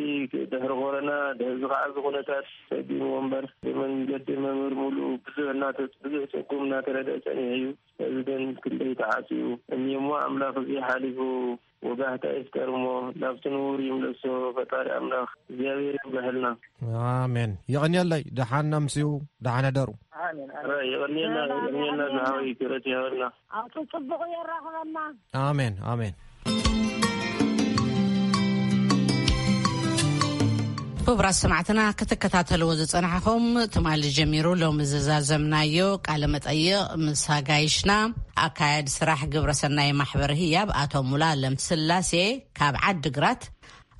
ድሕሪ ኮረና፣ ድሕዚ ከዓ እዚ ኩነታት ሰጊሙ እምበር፣ ብመንገዲ መምህር ሙሉ ብዙሕ እናተ-፣ ብዙሕ ጸጉም እናተረድአ ጸኒሑ እዩ። እዚ ግን ክንደይ ተዓጽዩ እኒኦሞ። ኣምላኽ እዚ ሓሊፉ ወጋሕታ ይፍጠር እሞ ናብቲ ንቡር ይምለሶ ፈጣሪ ኣምላኽ እግዚኣብሔር ይብርሃልና። ኣሜን። የቐንየለይ። ደሓን ኣምስዩ፣ ደሓን ሕደሩ። ኣሜን፣ ኣሜን። ኧረ የቐንየልና፣ ሰላም የቐንየልና፣ ይቐንየልና። ዝሃወይ ክብረት ይሃበልና። ኣብቲ ጽቡቕ የራኽበና። ኣሜን፣ ኣሜን። ክቡራት ሰማዕትና ክትከታተልዎ ዝጸናሕኹም ትማሊ ጀሚሩ ሎሚ ዝዛዘምናዮ ቃለ መጠይቕ ምስ ኣጋይሽና ኣካያዲ ስራሕ ግብረሰናይ ማሕበር ህያብ ኣቶ ሙሉኣለም ስላሴ ካብ ዓዲግራት፣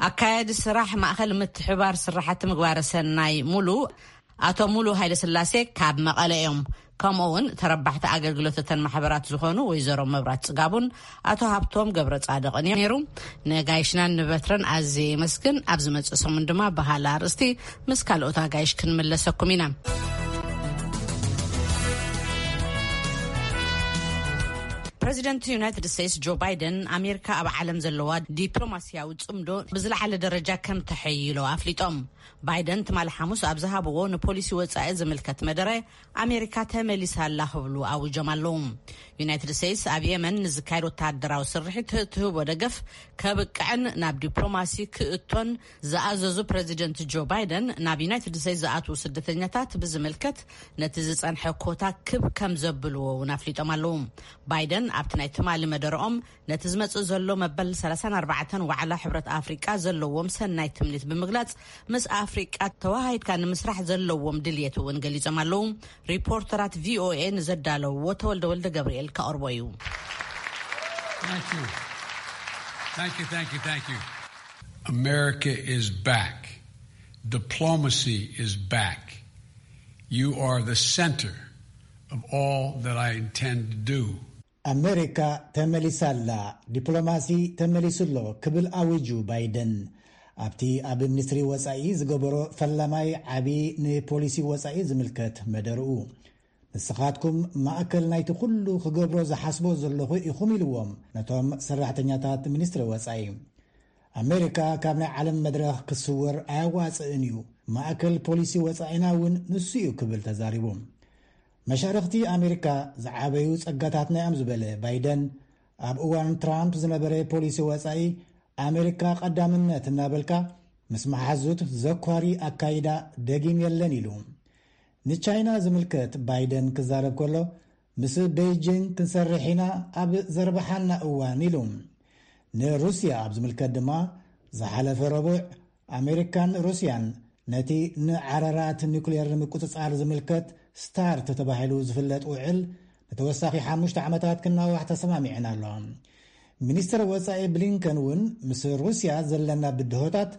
ኣካያዲ ስራሕ ማእኸል ምትሕባር ስራሕቲ ምግባረ ሰናይ ሙሉ ኣቶ ሙሉ ሃይለስላሴ ካብ መቐለ እዮም። ከምኡ እውን ተረባሕቲ ኣገልግሎት እተን ማሕበራት ዝኾኑ ወይዘሮ መብራት ጽጋቡን ኣቶ ሃብቶም ገብረ ጻድቕን እዮም ነይሩ። ነጋይሽናን ንበትረን ኣዝየ የመስግን። ኣብ ዝመጽእ ሰሙን ድማ ብሃላ ኣርእስቲ ምስ ካልኦት ኣጋይሽ ክንምለሰኩም ኢና። ፕረዚደንት ዩናይትድ ስቴትስ ጆ ባይደን ኣሜሪካ ኣብ ዓለም ዘለዋ ዲፕሎማስያዊ ጽምዶ ብዝለዓለ ደረጃ ከም ተሐይሎ ኣፍሊጦም። ባይደን ትማሊ ሓሙስ ኣብ ዝሃብዎ ንፖሊሲ ወጻኢ ዝምልከት መደረ ኣሜሪካ ተመሊሳ ኣላ ክብሉ ኣዊጆም ኣለዉ። ዩናይትድ ስቴትስ ኣብ የመን ንዝካየድ ወተሃደራዊ ስርሒት ትህቦ ደገፍ ከብቅዕን ናብ ዲፕሎማሲ ክእቶን ዝኣዘዙ ፕረዚደንት ጆ ባይደን፣ ናብ ዩናይትድ ስቴትስ ዝኣትዉ ስደተኛታት ብዝምልከት ነቲ ዝጸንሐ ኮታ ክብ ከም ዘብልዎ እውን ኣፍሊጦም ኣለዉ። ባይደን ኣብቲ ናይ ትማሊ መደረኦም ነቲ ዝመጽእ ዘሎ መበል ሰላሳን ኣርባዕተን ዋዕላ ሕብረት ኣፍሪቃ ዘለዎም ሰናይ ትምኒት ብምግላጽ፣ ምስ ኣፍሪቃ ተዋሃሂድካ ንምስራሕ ዘለዎም ድልየት እውን ገሊጾም ኣለዉ። ሪፖርተራት ቪኦኤ ንዘዳለውዎ ተወልደ ወልደ ገብርኤል ከቕርቦ እዩ። Thank you. Thank you, thank you, thank you. America is back. Diplomacy is back. You are the center of all that I intend to do. ኣሜሪካ ተመሊሳ ኣላ፣ ዲፕሎማሲ ተመሊሱ ኣሎ ክብል ኣዊጁ ባይደን ኣብቲ ኣብ ሚኒስትሪ ወጻኢ ዝገበሮ ፈላማይ ዓቢ ንፖሊሲ ወጻኢ ዝምልከት መደርኡ። ንስኻትኩም ማእከል ናይቲ ኩሉ ክገብሮ ዝሓስቦ ዘለኹ ኢኹም ኢልዎም ነቶም ሰራሕተኛታት ሚኒስትሪ ወጻኢ። ኣሜሪካ ካብ ናይ ዓለም መድረኽ ክስወር ኣያዋጽእን እዩ፣ ማእከል ፖሊሲ ወጻኢና እውን ንሱ እዩ ክብል ተዛሪቡ። መሻርኽቲ ኣሜሪካ ዝዓበዩ ጸጋታትና እዮም ዝበለ ባይደን፣ ኣብ እዋን ትራምፕ ዝነበረ ፖሊሲ ወጻኢ ኣሜሪካ ቀዳምነት እናበልካ ምስ መሓዙት ዘኳሪ ኣካይዳ ደጊም የለን ኢሉ። ንቻይና ዝምልከት ባይደን ክዛረብ ከሎ፣ ምስ ቤይጂንግ ክንሰርሕ ኢና ኣብ ዘርብሓና እዋን ኢሉ። ንሩስያ ኣብ ዝምልከት ድማ ዝሓለፈ ረቡዕ ኣሜሪካን ሩስያን ነቲ ንዓረራት ኒውክሌር ንምቁጽጻር ዝምልከት ስታርት ተባሂሉ ዝፍለጥ ውዕል ንተወሳኺ ሓሙሽተ ዓመታት ክናዋሕ ተሰማሚዐን ኣለዋ። ሚኒስትር ወጻኢ ብሊንከን እውን ምስ ሩስያ ዘለና ብድሆታት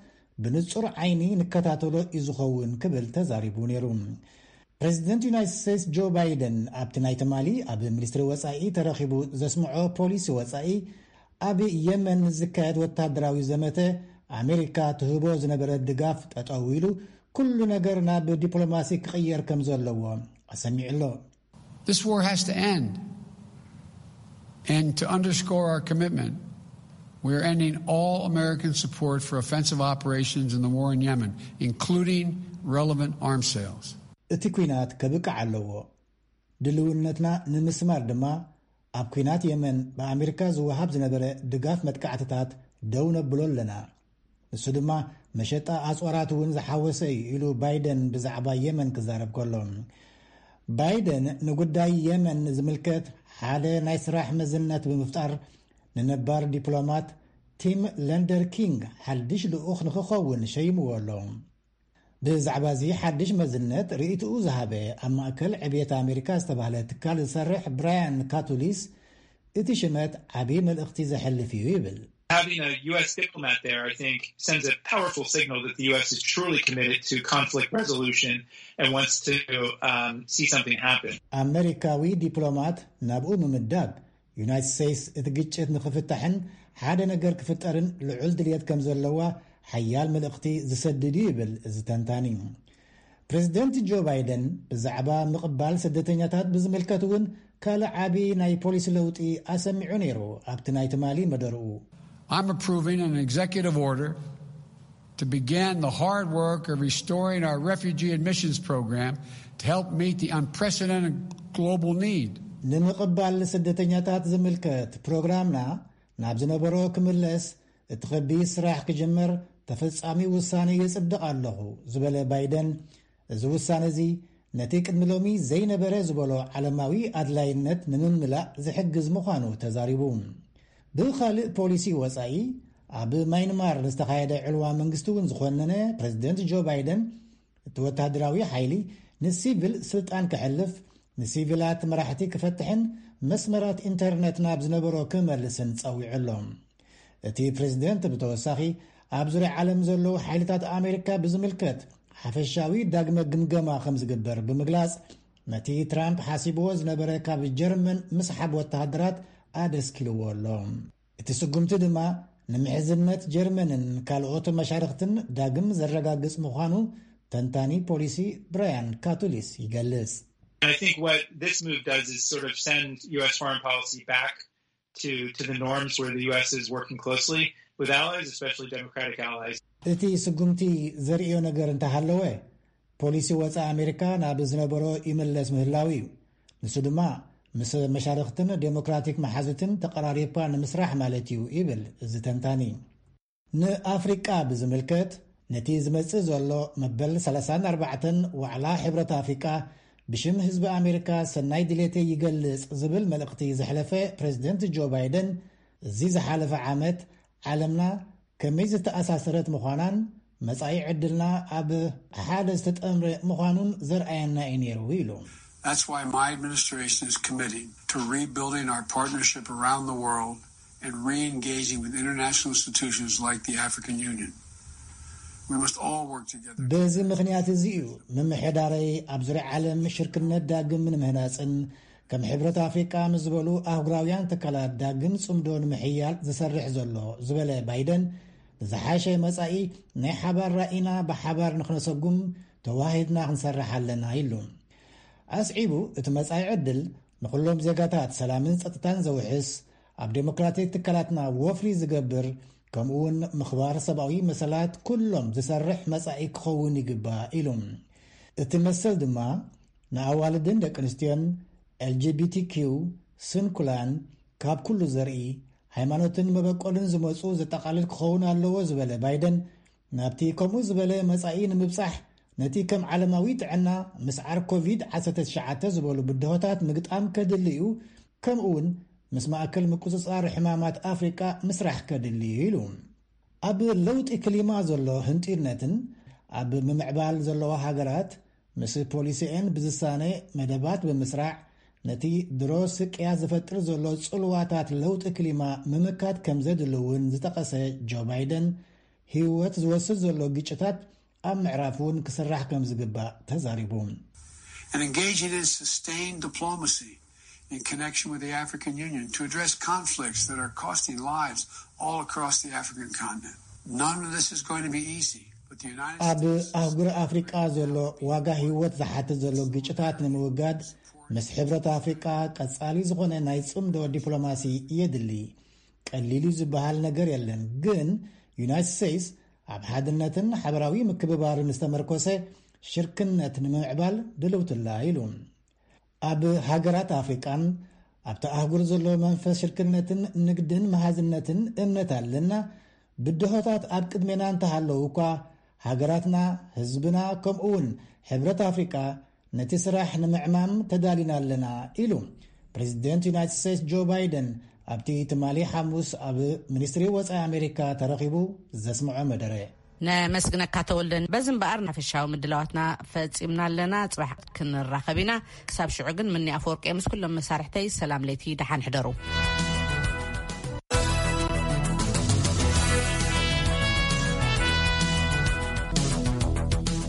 ብንጹር ዓይኒ ንከታተሎ እዩ ዝኸውን ክብል ተዛሪቡ ነይሩ። ፕረዚደንት ዩናይትድ ስቴትስ ጆ ባይደን ኣብቲ ናይ ትማሊ ኣብ ሚኒስትሪ ወጻኢ ተረኺቡ ዘስምዖ ፖሊሲ ወጻኢ ኣብ የመን ንዝካየድ ወታደራዊ ዘመተ ኣሜሪካ ትህቦ ዝነበረ ድጋፍ ጠጠው ኢሉ ኩሉ ነገር ናብ ዲፕሎማሲ ክቕየር ከም ዘለዎ ኣሰሚዑ ኣሎ። This war has to end. And to underscore our commitment, we are ending all American support for offensive operations in the war in Yemen, including relevant arms sales. እቲ ኲናት ከብቅዕ ኣለዎ። ድልውነትና ንምስማር ድማ ኣብ ኲናት የመን ብኣሜሪካ ዝወሃብ ዝነበረ ድጋፍ መጥቃዕትታት ደው ነብሎ ኣለና። ንሱ ድማ መሸጣ ኣጽዋራት እውን ዝሓወሰ እዩ ኢሉ ባይደን ብዛዕባ የመን ክዛረብ ከሎ። ባይደን ንጉዳይ የመን ዝምልከት ሓደ ናይ ስራሕ መዝነት ብምፍጣር፣ ንነባር ዲፕሎማት ቲም ለንደር ኪንግ ሓድሽ ልኡኽ ንክኸውን ሸይምዎ ኣሎ። ብዛዕባ እዚ ሓድሽ መዝነት ርእይትኡ ዝሃበ ኣብ ማእከል ዕብየት ኣሜሪካ ዝተባህለ ትካል ዝሰርሕ ብራያን ካቱሊስ፣ እቲ ሽመት ዓብዪ መልእኽቲ ዘሕልፍ እዩ ይብል። Having a U S diplomat there, I think, sends a powerful signal that the U S is truly committed to conflict resolution and wants to um, see something happen. ኣመሪካዊ ዲፕሎማት ናብኡ ምምዳብ፣ ዩናይትድ ስቴትስ እቲ ግጭት ንኽፍታሕን ሓደ ነገር ክፍጠርን ልዑል ድልየት ከም ዘለዋ ሓያል መልእኽቲ ዝሰድድ እዩ ይብል እዚ ተንታኒ። ፕሬዚደንት ጆ ባይደን ብዛዕባ ምቕባል ስደተኛታት ብዝምልከት እውን ካልእ ዓቢ ናይ ፖሊሲ ለውጢ ኣሰሚዑ ነይሩ። ኣብቲ ናይ ትማሊ መደርኡ፣ I'm approving an executive order to begin the hard work of restoring our refugee admissions program to help meet the unprecedented global need. ንምቕባል ስደተኛታት ዝምልከት ፕሮግራምና ናብ ዝነበሮ ክምለስ፣ እቲ ከቢድ ስራሕ ክጅመር ተፈጻሚ ውሳነ የጽድቕ ኣለኹ ዝበለ ባይደን፣ እዚ ውሳነ እዚ ነቲ ቅድሚ ሎሚ ዘይነበረ ዝበሎ ዓለማዊ ኣድላይነት ንምምላእ ዝሕግዝ ምዃኑ ተዛሪቡ። ብኻልእ ፖሊሲ ወጻኢ፣ ኣብ ማይንማር ንዝተኻየደ ዕልዋ መንግስቲ እውን ዝኾነነ ፕሬዚደንት ጆ ባይደን፣ እቲ ወተሃደራዊ ሓይሊ ንሲቪል ስልጣን ክሕልፍ፣ ንሲቪላት መራሕቲ ክፈትሕን መስመራት ኢንተርነት ናብ ዝነበሮ ክመልስን ጸዊዑ ኣሎ። እቲ ፕሬዚደንት ብተወሳኺ፣ ኣብ ዙርያ ዓለም ዘለዉ ሓይልታት ኣሜሪካ ብዝምልከት ሓፈሻዊ ዳግመ ግምገማ ከም ዝግበር ብምግላጽ፣ ነቲ ትራምፕ ሓሲብዎ ዝነበረ ካብ ጀርመን ምስሓብ ወተሃደራት ኣደስኪልዎ ኣሎ። እቲ ስጉምቲ ድማ ንምሕዝነት ጀርመንን ካልኦት መሻርኽትን ዳግም ዘረጋግጽ ምዃኑ ተንታኒ ፖሊሲ ብራያን ካቱሊስ ይገልጽ። I think what this move does is sort of send U S foreign policy back to, to the norms where the U S is working closely with allies, especially Democratic allies. እቲ ስጉምቲ ዘርእዮ ነገር እንተሃለወ፣ ፖሊሲ ወጻኢ ኣሜሪካ ናብ ዝነበሮ ይምለስ ምህላው እዩ። ንሱ ድማ ምስ መሻርኽትን ዴሞክራቲክ መሓዙትን ተቐራሪብካ ንምስራሕ ማለት እዩ ይብል እዚ ተንታኒ። ንኣፍሪቃ ብዝምልከት፣ ነቲ ዝመጽእ ዘሎ መበል ሰላሳን ኣርባዕተን ዋዕላ ሕብረት ኣፍሪቃ ብሽም ህዝቢ ኣሜሪካ ሰናይ ድሌተይ ይገልጽ ዝብል መልእኽቲ ዘሕለፈ ፕሬዚደንት ጆ ባይደን፣ እዚ ዝሓለፈ ዓመት ዓለምና ከመይ ዝተኣሳሰረት ምዃናን መጻኢ ዕድልና ኣብ ሓደ ዝተጠምረ ምዃኑን ዘርኣየና እዩ ነይሩ ኢሉ። That's why my administration is committing to rebuilding our partnership around the world and re-engaging with international institutions like the African Union. We must all work together. በዚ ምኽንያት እዚ እዩ ምምሕዳረይ ኣብ ዙርያ ዓለም ሽርክነት ዳግም ንምህናፅን ከም ሕብረት ኣፍሪቃ ምስ ዝበሉ ኣህጉራውያን ትካላት ዳግም ጽምዶ ንምሕያል ዝሰርሕ ዘሎ ዝበለ ባይደን፣ ንዝሓሸ መጻኢ ናይ ሓባር ራኢና ብሓባር ንኽነሰጉም ተዋሂድና ክንሰርሕ ኣለና ኢሉ። ኣስዒቡ፣ እቲ መጻኢ ዕድል ንኹሎም ዜጋታት ሰላምን ጸጥታን ዘውሕስ፣ ኣብ ዴሞክራቲክ ትካላትና ወፍሪ ዝገብር፣ ከምኡ እውን ምኽባር ሰብኣዊ መሰላት ኩሎም ዝሰርሕ መጻኢ ክኸውን ይግባእ ኢሉ። እቲ መሰል ድማ ንኣዋልድን ደቂ ኣንስትዮን፣ ኤልጂቢቲኪው፣ ስንኩላን፣ ካብ ኩሉ ዘርኢ፣ ሃይማኖትን መበቆልን ዝመጹ ዘጠቓልል ክኸውን ኣለዎ ዝበለ ባይደን፣ ናብቲ ከምኡ ዝበለ መጻኢ ንምብጻሕ ነቲ ከም ዓለማዊ ጥዕና፣ ምስዓር ኮቪድ ዓሰርተ ትሽዓተ ዝበሉ ብድሆታት ምግጣም ከድሊ እዩ፣ ከምኡ እውን ምስ ማእከል ምቁጽጻር ሕማማት ኣፍሪቃ ምስራሕ ከድሊ እዩ ኢሉ። ኣብ ለውጢ ክሊማ ዘሎ ህንጢርነትን ኣብ ምምዕባል ዘለዋ ሃገራት ምስ ፖሊሲኤን ብዝሳነ መደባት ብምስራዕ ነቲ ድሮ ስቅያ ዝፈጥር ዘሎ ጽልዋታት ለውጢ ክሊማ ምምካት ከም ዘድሊ እውን ዝጠቐሰ ጆ ባይደን፣ ህይወት ዝወስድ ዘሎ ግጭታት ኣብ ምዕራፍ እውን ክስራሕ ከም ዝግባእ ተዛሪቡ። And engaging in sustained diplomacy in connection with the African Union to address conflicts that are costing lives all across the African continent. None of this is going to be easy, but the United ኣብ States ኣህጉር ኣፍሪቃ ዘሎ ዋጋ ህይወት ዝሓትት ዘሎ ግጭታት ንምውጋድ ምስ ሕብረት ኣፍሪቃ ቀጻሊ ዝኾነ ናይ ጽምዶ ዲፕሎማሲ የድሊ። ቀሊል እዩ ዝበሃል ነገር የለን፣ ግን ዩናይትድ ስቴትስ ኣብ ሓድነትን ሓበራዊ ምክብባርን ዝተመርኮሰ ሽርክነት ንምምዕባል ድልውትላ ኢሉ። ኣብ ሃገራት ኣፍሪቃን ኣብቲ ኣህጉር ዘሎ መንፈስ ሽርክነትን ንግድን መሃዝነትን እምነት ኣለና። ብድሆታት ኣብ ቅድሜና እንተሃለዉ እኳ፣ ሃገራትና፣ ህዝብና፣ ከምኡ እውን ሕብረት ኣፍሪቃ ነቲ ስራሕ ንምዕማም ተዳሊና ኣለና ኢሉ። ፕሬዚደንት ዩናይትድ ስቴትስ ጆ ባይደን ኣብቲ ትማሊ ሓሙስ ኣብ ሚኒስትሪ ወፃኢ ኣሜሪካ ተረኺቡ ዘስምዖ መደረ። ነመስግነካ ተወልደን። በዚ እምበኣር ናፈሻዊ ምድላዋትና ፈጺምና ኣለና። ጽባሕ ክንራኸብ ኢና። ክሳብ ሽዑ ግን ምኒ ኣፈወርቂ ምስ ኩሎም መሳርሕተይ ሰላም ለይቲ፣ ደሓን ሕደሩ።